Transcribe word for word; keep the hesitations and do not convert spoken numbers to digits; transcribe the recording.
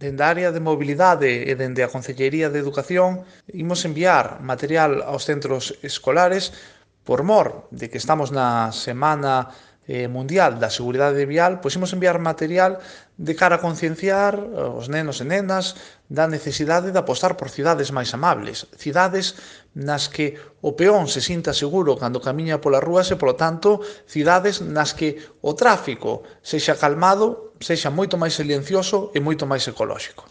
Dende a área de mobilidade e dende a Concellería de Educación imos enviar material aos centros escolares por mor de que estamos na Semana eh, Mundial da Seguridade Vial, pois imos enviar material de cara a concienciar os nenos e nenas da necesidade de apostar por cidades máis amables, cidades nas que o peón se sinta seguro cando camiña polas rúas e, polo tanto, cidades nas que o tráfico sexa calmado, sexa moito máis silencioso e moito máis ecolóxico.